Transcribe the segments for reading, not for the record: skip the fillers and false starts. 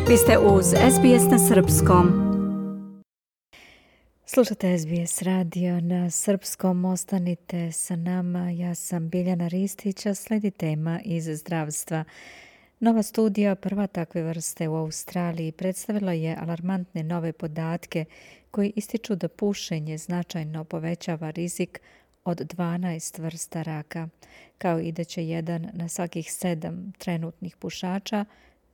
Vi ste uz SBS na srpskom. Slušate SBS radio na srpskom, ostanite sa nama. Ja sam Biljana Ristić, a sledi tema iz zdravstva. Nova studija, prva takve vrste u Australiji, predstavila je alarmantne nove podatke koji ističu da pušenje značajno povećava rizik od 12 vrsta raka, kao i da će 1 na svakih 7 trenutnih pušača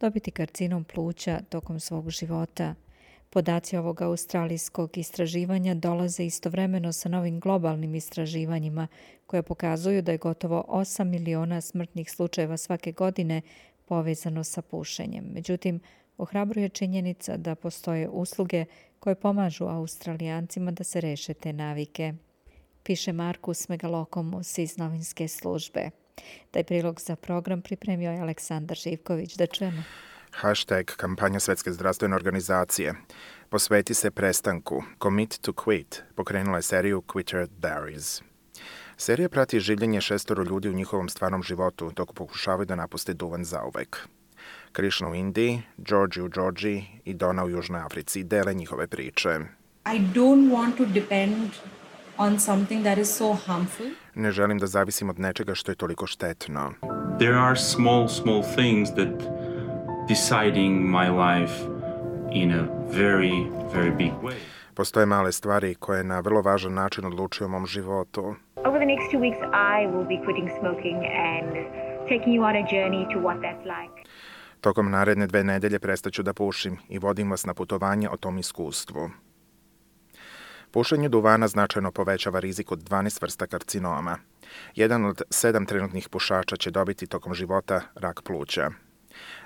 dobiti karcinom pluća tokom svog života. Podaci ovog australijskog istraživanja dolaze istovremeno sa novim globalnim istraživanjima koje pokazuju da je gotovo 8 miliona smrtnih slučajeva svake godine povezano sa pušenjem. Međutim, ohrabruje činjenica da postoje usluge koje pomažu Australijancima da se reše te navike, piše Markus Megalokomus iz novinske službe. Taj prilog za program pripremio je Aleksandar Živković. Da čujemo. Hashtag kampanja Svetske zdravstvene organizacije Posveti se prestanku, Commit to Quit, pokrenula je seriju Quitter Diaries. Serija prati življenje 6 ljudi u njihovom stvarnom životu dok pokušavaju da napuste duvan zauvek. Krishna u Indiji, George u Georgiji i Donna u Južnoj Africi dele njihove priče. I don't want to depend on something that is so harmful. Ne želim da zavisim od nečega što je toliko štetno. There are small things that deciding my life in a very, very big way. Postoje male stvari koje na vrlo važan način odlučuju o mom životu. Over the next 2 weeks, I will be quitting smoking and taking you on a journey to what that's like. Tokom naredne 2 nedelje prestaću da pušim i vodim vas na putovanje o tom iskustvu. Pušenje duvana značajno povećava rizik od 12 vrsta karcinoma. 1 od 7 trenutnih pušača će dobiti tokom života rak pluća.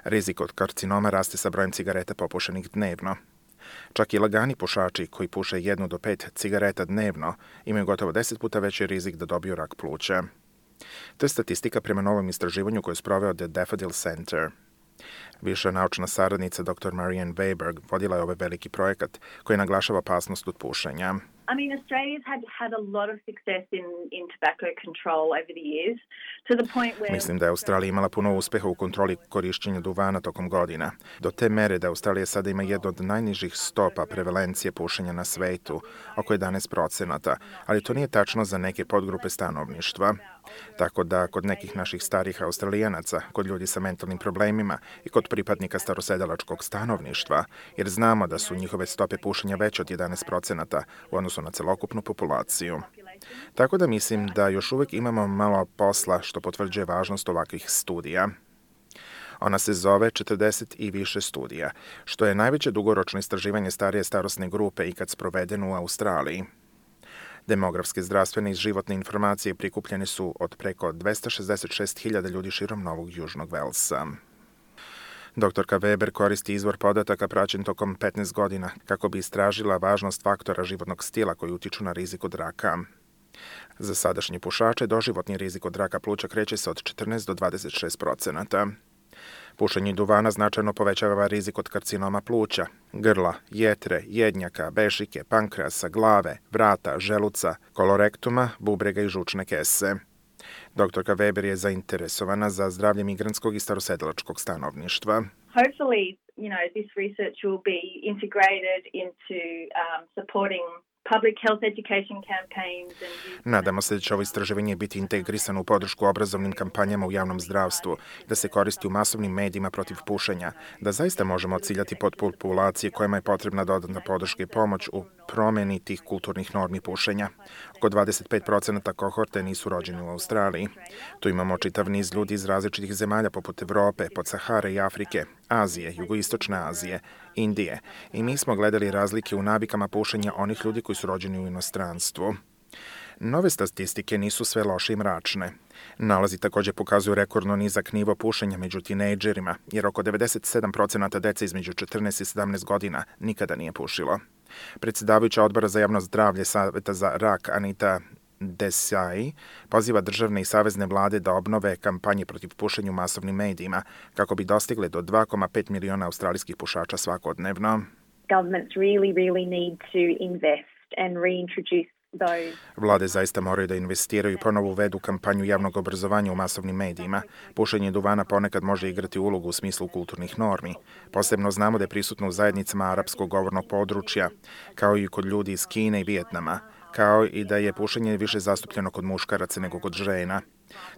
Rizik od karcinoma raste sa brojem cigareta popušenih dnevno. Čak i lagani pušači koji puše 1 do 5 cigareta dnevno imaju gotovo 10 puta veći rizik da dobiju rak pluća. To je statistika prema novom istraživanju koje je sproveo The Daffodil Center. Viša naučna saradnica dr. Marianne Weiberg vodila je ovaj veliki projekat koji naglašava opasnost od pušenja. I mean, Australia's had a lot of success in tobacco control over the years, to the point where... Mislim da je Australija imala puno uspeha u kontroli korišćenja duvana tokom godina. Do te mere da Australija sada ima jednu od najnižih stopa prevalencije pušenja na svetu, oko 11%, ali to nije tačno za neke podgrupe stanovništva. Tako da kod nekih naših starih Australijanaca, kod ljudi sa mentalnim problemima i kod pripadnika starosedelačkog stanovništva, jer znamo da su njihove stope pušenja veće od 11% u odnosu na celokupnu populaciju. Tako da mislim da još uvijek imamo malo posla što potvrđuje važnost ovakvih studija. Ona se zove 40 i više studija, što je najveće dugoročno istraživanje starije starosne grupe ikad sprovedeno u Australiji. Demografske, zdravstvene i životne informacije prikupljene su od preko 266.000 ljudi širom Novog Južnog Velsa. Doktorka Weber koristi izvor podataka praćen tokom 15 godina kako bi istražila važnost faktora životnog stila koji utiču na rizik od raka. Za sadašnje pušače doživotni rizik od raka pluća kreće se od 14 do 26%. Pušenje duvana značajno povećava rizik od karcinoma pluća, grla, jetre, jednjaka, bešike, pankreasa, glave, vrata, želuca, kolorektuma, bubrega i žučne kese. Doktorka Weber je zainteresovana za zdravlje migrantskog i starosedelačkog stanovništva. Hopefully, this research will be integrated into supporting public health education campaigns and... Nadamo se da će ovo istraživanje biti integrisano u podršku obrazovnim kampanjama u javnom zdravstvu, da se koristi u masovnim medijima protiv pušenja, da zaista možemo ciljati populacije kojima je potrebna dodatna podrška i pomoć u promeni tih kulturnih normi pušenja. Oko 25% kohorte nisu rođeni u Australiji. Tu imamo čitav niz ljudi iz različitih zemalja poput Evrope, Podsahare i Afrike, Azije, Jugoistočne Azije, Indije. I mi smo gledali razlike u navikama pušenja onih ljudi koji su rođeni u inostranstvu. Nove statistike nisu sve loše i mračne. Nalazi također pokazuju rekordno nizak nivo pušenja među tinejdžerima, jer oko 97% dece između 14 i 17 godina nikada nije pušilo. Predsjedavajuća odbora za javno zdravlje Saveta za rak Anita Desai poziva državne i savezne vlade da obnove kampanje protiv pušenja u masovnim medijima kako bi dostigle do 2,5 miliona australijskih pušača svakodnevno. Governments really need to invest and reintroduce those. Vlade zaista moraju da investiraju i ponovo uvedu kampanju javnog obrazovanja u masovnim medijima. Pušenje duvana ponekad može igrati ulogu u smislu kulturnih normi. Posebno znamo da je prisutno u zajednicama arapskog govornog područja, kao i kod ljudi iz Kine i Vijetnama, kao i da je pušenje više zastupljeno kod muškaraca nego kod žena.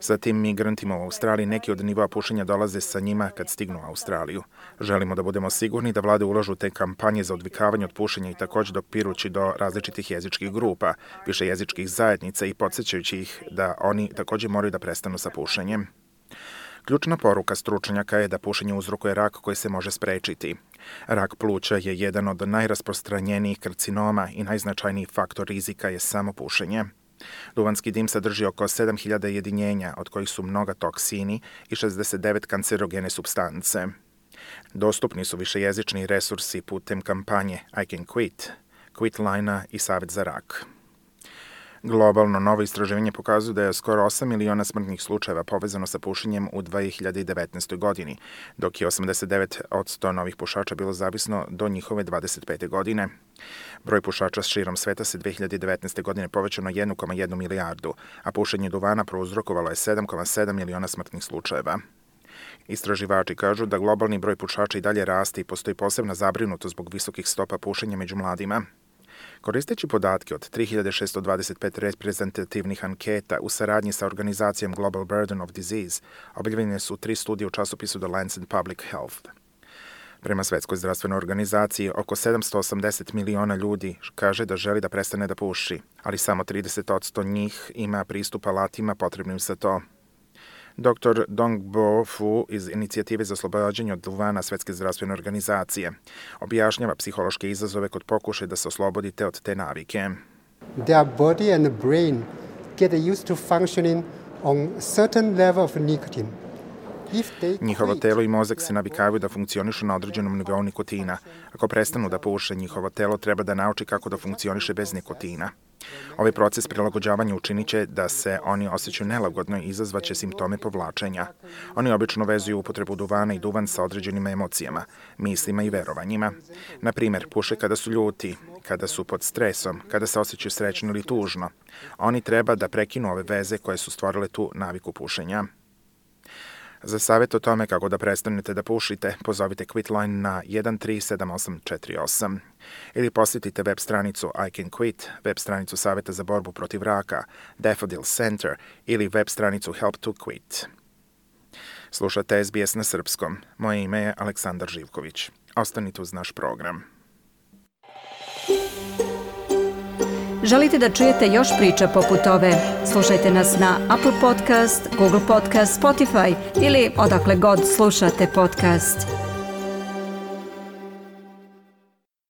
Sa tim migrantima u Australiji neki od nivoa pušenja dolaze sa njima kad stignu u Australiju. Želimo da budemo sigurni da vlade ulažu te kampanje za odvikavanje od pušenja i također dopirući do različitih jezičkih grupa, više jezičkih zajednica i podsjećajući ih da oni također moraju da prestanu sa pušenjem. Ključna poruka stručnjaka je da pušenje uzrokuje rak koji se može sprečiti. Rak pluća je jedan od najrasprostranjenijih karcinoma i najznačajniji faktor rizika je samo pušenje. Duvanski dim sadrži oko 7000 jedinjenja, od kojih su mnoga toksini i 69 kancerogene supstance. Dostupni su višejezični resursi putem kampanje I Can Quit, Quitline-a i Savet za rak. Globalno novo istraživanje pokazuje da je skoro 8 miliona smrtnih slučajeva povezano sa pušenjem u 2019. godini, dok je 89% novih pušača bilo zavisno do njihove 25. godine. Broj pušača širom sveta se 2019. godine povećao na 1,1 milijardu, a pušenje duvana prouzrokovalo je 7,7 miliona smrtnih slučajeva. Istraživači kažu da globalni broj pušača i dalje raste i postoji posebna zabrinutost zbog visokih stopa pušenja među mladima. Koristeći podatke od 3625 reprezentativnih anketa u saradnji sa organizacijom Global Burden of Disease, objavljene su 3 studije u časopisu The Lancet Public Health. Prema Svetskoj zdravstvenoj organizaciji, oko 780 miliona ljudi kaže da želi da prestane da puši, ali samo 30% njih ima pristup alatima potrebnim za to. Dr. Dongbo Fu iz Inicijative za oslobađanje od duvana Svetske zdravstvene organizacije objašnjava psihološke izazove kod pokušaja da se oslobodite od te navike. Their body and brain get used to functioning on a certain level of nicotine. Njihovo telo i mozak se navikavaju da funkcionišu na određenom nivou nikotina. Ako prestanu da puše, njihovo telo treba da nauči kako da funkcioniše bez nikotina. Ovaj proces prilagođavanja učinit će da se oni osjećaju nelagodno i izazvaće simptome povlačenja. Oni obično vezuju upotrebu duvana i duvan sa određenim emocijama, mislima i verovanjima. Na primjer, puše kada su ljuti, kada su pod stresom, kada se osjećaju srećno ili tužno. Oni treba da prekinu ove veze koje su stvorile tu naviku pušenja. Za savjet o tome kako da prestanete da pušite, pozovite Quitline na 137848 ili posjetite web stranicu I Can Quit, web stranicu Saveta za borbu protiv raka, Daffodil Center ili web stranicu Help to Quit. Slušate SBS na srpskom. Moje ime je Aleksandar Živković. Ostanite uz naš program. Želite da čujete još priča poput ove? Slušajte nas na Apple Podcast, Google Podcast, Spotify ili odakle god slušate podcast.